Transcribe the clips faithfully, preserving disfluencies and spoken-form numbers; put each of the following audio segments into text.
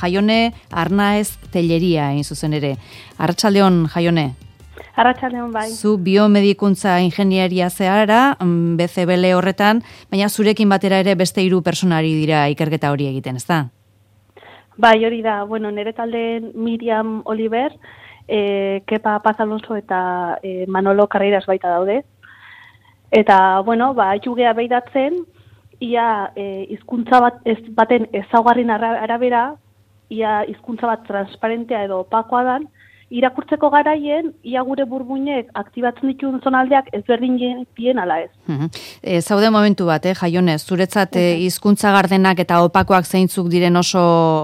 Jaione Arnaez Telleria hain zuzen ere. Arratsaldeon, Jaione. Arratsaldeon bai. Zu biomedikuntza ingenieria zehara, B C B L horretan, baina zurekin batera ere beste hiru pertsonari dira ikerketa hori egiten, ezta? Bai, hori da. Bueno, nire talde Miriam Oliver, eh, Kepa Paz Alonso eta eh, Manolo Carreras baita daude. Eta, bueno, ba, jugea behidatzen, ia eh, hizkuntza bat, ez, baten ezaugarrin arabera, ia hizkuntza bat transparentea edo opakoa dan, irakurtzeko garaien, ia gure burbuinek aktibatzen dituen zonaldeak ezberdin bien ala ez. E, zaude momentu bat, eh, Jaione, zuretzat eh, hizkuntza gardenak eta opakoak zeintzuk diren oso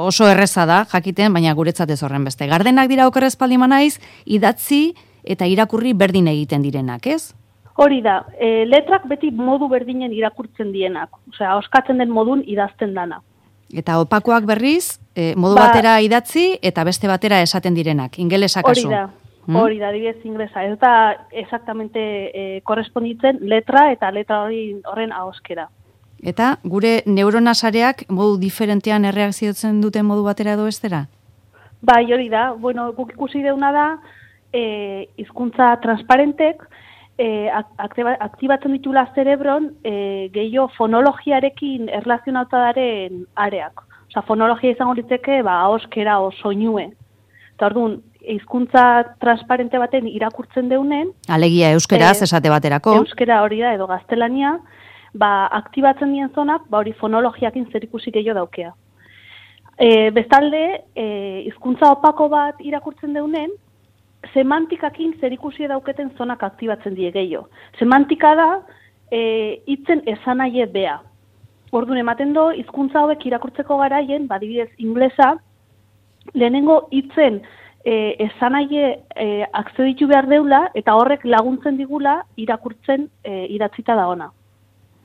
oso erreza da, jakiten, baina guretzat ez horren beste. Gardenak dira okerrez paldi naiz, idatzi eta irakurri berdin egiten direnak, ez? Hori da, e, letrak beti modu berdinen irakurtzen dienak, osea, oskatzen den modun idazten dana. Eta opakoak berriz, e, modu ba, batera idatzi eta beste batera esaten direnak, ingelesa kasu. Hori da, hmm? hori da, adibidez inglesa. Ez da exactamente e, korresponditzen letra eta letra hori horren ahoskera. Eta gure neuronasareak modu diferentean erreakziotzen duten modu batera edo bestera? Bai, hori da. Bueno, guk ikusi deuna da, e, hizkuntza transparentek, E, aktibatzen ditula zerebron e, gehiago fonologiarekin erlazionatadaren areak. Osa, fonologia izango litzeke, ba, ahoskera o soinue. Eta orduan, hizkuntza transparente baten irakurtzen deunen... Alegia euskeraz e, esate baterako. Euskera hori da, edo gaztelania, ba, aktibatzen dien zonak, ba, hori fonologiakin zerikusi gehiago daukea. E, bestalde, e, hizkuntza opako bat irakurtzen deunen, semantikakin zerikusi dauketen zonak aktibatzen die gehiago. Semantika da, e, hitzen esanaie bea. Orduan ematen do, hizkuntza hauek irakurtzeko garaien, badibidez inglesa, lehenengo hitzen e, esanaie e, akzeditu behar deula, eta horrek laguntzen digula irakurtzen e, idatzita da ona.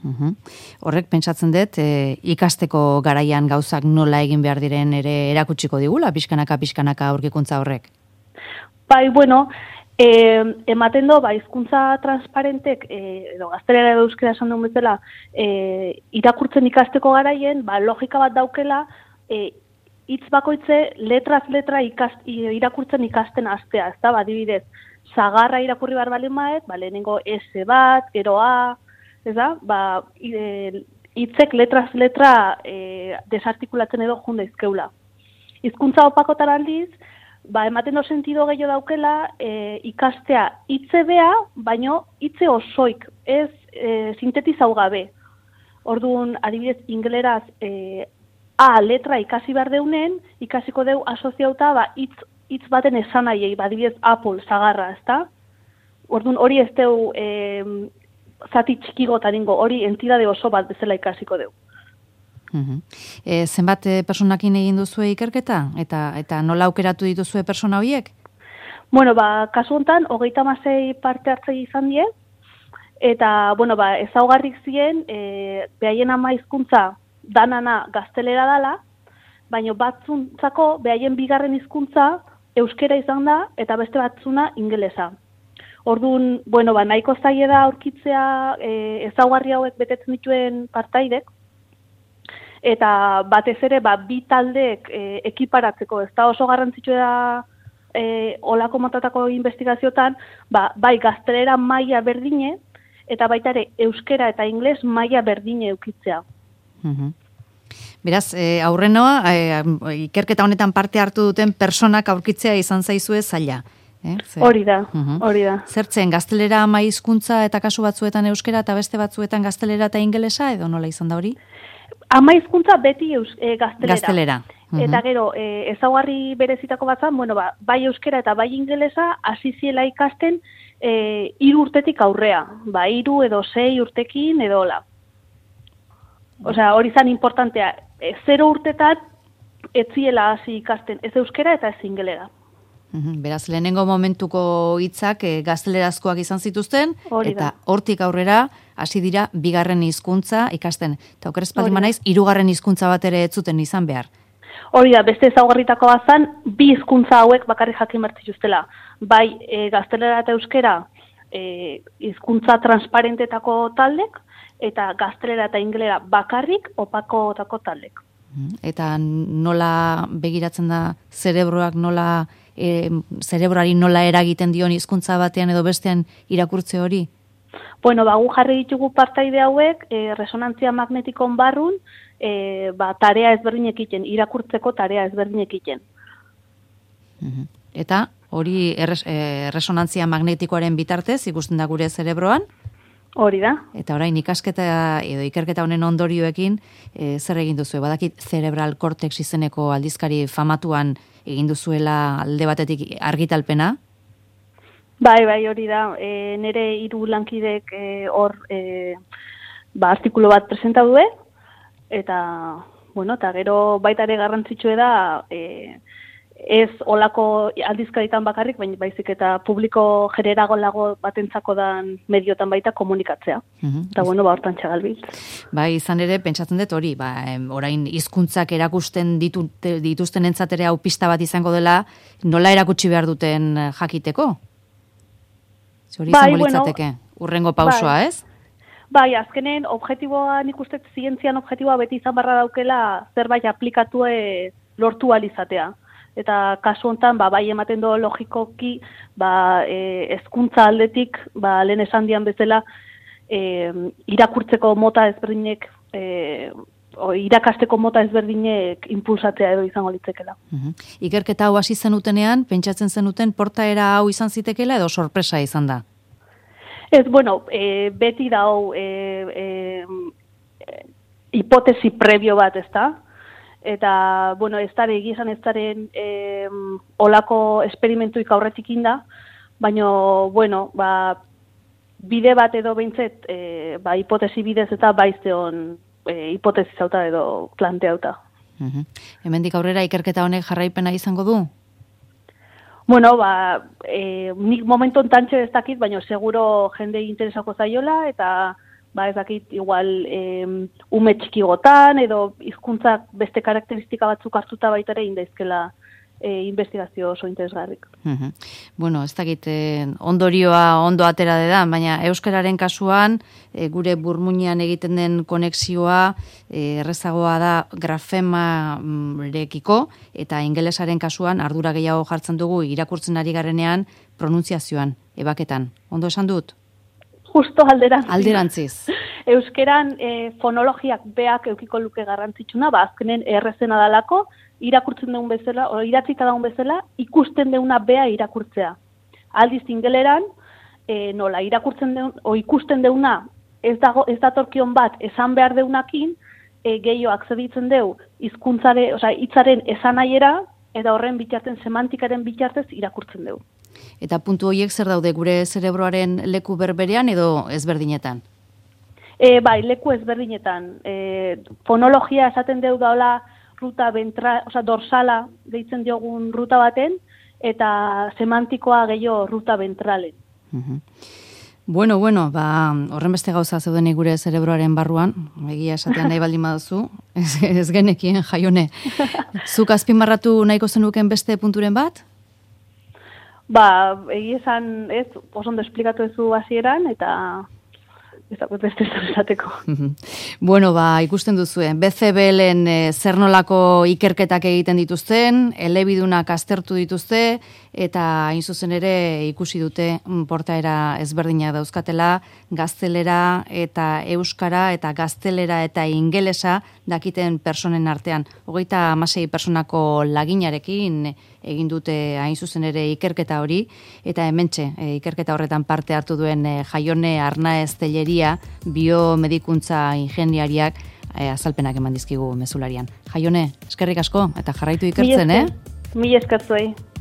Uhum. Horrek pentsatzen dut, e, ikasteko garaian gauzak nola egin behar diren ere erakutsiko digula, pixkanaka, pixkanaka aurkikuntza horrek. Bai, bueno, eh, ematen do, ba, hizkuntza transparentek, eh, edo gaztelera edo euskera esan duen bezala, eh, irakurtzen ikasteko garaien, ba, logika bat daukela, eh, hitz bakoitze, letraz letra ikast, irakurtzen ikasten astea, ez da, ba, adibidez, sagarra irakurri behar balen maet, ba, lehenengo S bat, gero A, ez da, ba, hitzek letraz letra eh, desartikulatzen edo junda izkeula. Hizkuntza opakotan aldiz, ba, ematen do sentido gehiago daukela, e, ikastea hitze bea, baino hitze osoik, ez e, sintetizau gabe. Orduan, adibidez, ingeleraz e, A letra ikasi behar deunen, ikasiko deu asoziauta, ba, hitz, hitz baten esanaiei, ba, adibidez, Apple, sagarra, ezta? Orduan, hori ez deu e, zati txikigotan ingo, hori entidade oso bat bezala ikasiko deu. Uhum. E, zenbat e, personakin egin duzue ikerketa? Eta eta nola aukeratu dituzue persona horiek? Bueno, ba, kasu honetan, hogeita hamasei parte hartzei izan die, eta, bueno, ba, ezaugarrik zien, e, behaien ama hizkuntza danana gaztelera dala, baina batzuntzako behaien bigarren hizkuntza euskera izan da, eta beste batzuna ingelesa. Orduan, bueno, ba, nahiko zaie da aurkitzea e, ezaugarri hauek betetzen dituen partaidek, eta batez ere ba, bi taldeek e, ekiparatzeko, ez da oso garrantzitsua da e, olako motatako investigaziotan, ba, bai gaztelera maila berdine, eta baita ere euskera eta ingles maila berdine eukitzea. Uhum. Beraz, e, aurrenoa, e, ikerketa honetan parte hartu duten personak aurkitzea izan zaizue zaila. Eh? Hori da, hori da. Zertzen, gaztelera ama hizkuntza eta kasu batzuetan euskera eta beste batzuetan gaztelera eta ingelesa, edo nola izan da hori? Ama hizkuntza beti eus, e, gaztelera. Gaztelera. Uhum. Eta gero, e, ezaugarri berezitako batzan, bueno, ba, bai euskera eta bai ingelesa, hasi ziela ikasten e, hiru urtetik aurrea. Ba, hiru edo sei urtekin edo hola. Osea, hori zan importantea. E, zero urtetan ez ziela hasi ikasten, ez euskera eta ez ingelera. Uhum. Beraz, lehenengo momentuko hitzak e, gaztelerazkoak izan zituzten, hori eta da. hortik aurrera hasi dira bigarren hizkuntza ikasten. Eta okerez paldi manaiz, hirugarren hizkuntza bat ere ez zuten izan behar. Hori da, beste ezaugarritako bazan, bi hizkuntza hauek bakarrik jakin behar zituztela. Bai, e, gaztelera eta euskera e, hizkuntza transparentetako taldek, eta gaztelera eta ingelera bakarrik opakotako taldek. Eta nola begiratzen da zerebroak nola, e, zerebroari nola eragiten dion hizkuntza batean edo bestean irakurtze hori? Bueno, ba, gu jarri ditugu partaide hauek, e, resonantzia magnetikon barrun, e, ba, tarea ezberdinek egiten, irakurtzeko tarea ezberdinek egiten. Eta hori erres, e, resonantzia magnetikoaren bitartez ikusten da gure zerebroan? Hori da. Eta orain ikasketa edo ikerketa honen ondorioekin e, zer egin duzu? Badakit Cerebral Cortex izeneko aldizkari famatuan egin duzuela alde batetik argitalpena? Bai, bai, hori da. E, nire hiru lankidek hor e, ba, artikulu bat presenta due, eta, bueno, eta gero baita ere garrantzitsue da, e, ez olako aldizkaritan bakarrik, baina baizik eta publiko generagolago batentzako dan mediotan baita komunikatzea. Uh-huh. Eta bueno, ba, hortan txagalbit. Ba, izan ere, pentsatzen dut hori, ba, orain hizkuntzak erakusten ditute, dituzten entzatere hau pista bat izango dela, nola erakutsi behar duten jakiteko? Hori bai, izango litzateke, bueno, urrengo pausua, bai. Ez? Bai, azkenen objektiboa, nik uste zientzian objektiboa beti izan barra daukela zerbait aplikatue lortu alizatea. Eta kasu hontan ba, bai ematen do logikoki ba, e, hezkuntza aldetik ba, lehen esan dian bezala e, irakurtzeko mota ezberdinek e, o, irakasteko mota ezberdinek impulsatzea edo izango litzekela. Uh-huh. Ikerketa hau hasi zenutenean, pentsatzen zenuten portaera hau izan zitekela edo sorpresa izan da? Ez, bueno, e, beti da hau e, e, e, hipotesi previo bat, ez da? Eta, bueno, ez dara egizan ez daren e, olako esperimentuik aurretik inda, baina, bueno, ba, bide bat edo behintzet, e, ba, hipotesi bidez eta baizteon e, hipotesi zauta edo planteauta. Uh-huh. Hemendik aurrera ikerketa honek jarraipena izango du? Bueno, ba, e, nik momentu ontantxe ez dakit, baina seguro jende interesako zaiola, eta ba ez dakit, igual eh, ume txikigotan edo hizkuntzak beste karakteristika batzuk hartuta baita ere indaizkela eh, investigazio oso interesgarrik. Uh-huh. Bueno, ez dakit, eh, ondorioa ondo atera dedan, baina euskararen kasuan eh, gure burmuinean egiten den konexioa eh, errezagoa da grafemarekiko, eta ingelesaren kasuan ardura gehiago jartzen dugu irakurtzen ari garenean pronuntziazioan, ebaketan. Ondo esan dut? Justo alderantziz. Alderantziz. Euskeran e, fonologiak beak eukiko luke garrantzitsuna, ba, azkenen errezena dalako, irakurtzen deun bezala, o iratzita daun bezala, ikusten deuna bea irakurtzea. Aldiz ingeleran, e, nola, irakurtzen deun, o ikusten deuna, ez, dago, ez datorkion bat, esan behar deunakin, e, gehiago akzeditzen deu, hizkuntzare, osea, hitzaren esanaiera, eta horren bitarten, semantikaren bitartez irakurtzen deu. Eta puntu horiek zer daude gure zerebroaren leku berberean edo ezberdinetan? E, bai, leku ezberdinetan. E, fonologia esaten deu daula ruta ventra, oza, dorsala deitzen diogun ruta baten, eta semantikoa gehiago ruta ventralen. Uh-huh. Bueno, bueno, ba, horren beste gauza zeudenik gure zerebroaren barruan, egia esatean nahi baldin baduzu, ez, ez genekien Jaione. Zuk azpimarratu nahiko zenuken beste punturen bat? Ba, egia esan, ez, oso ondo esplikatu ezu hasieran eta ez da, beste esateko. Bueno, ba, ikusten duzuen, B C B L-en e, zer nolako ikerketak egiten dituzten, elebidunak aztertu dituzte, eta hain zuzen ere ikusi dute portaera ezberdinak dauzkatela, gaztelera eta euskara eta gaztelera eta ingelesa dakiten personen artean. Hogeita hamasei personako laginarekin egin dute hain zuzen ere ikerketa hori, eta hementxe e, ikerketa horretan parte hartu duen e, Jaione Arnaez Telleria, biomedikuntza ingeniariak e, azalpenak eman dizkigu mezularian. Jaione, eskerrik asko, eta jarraitu ikertzen, eh? Mila esker zuei.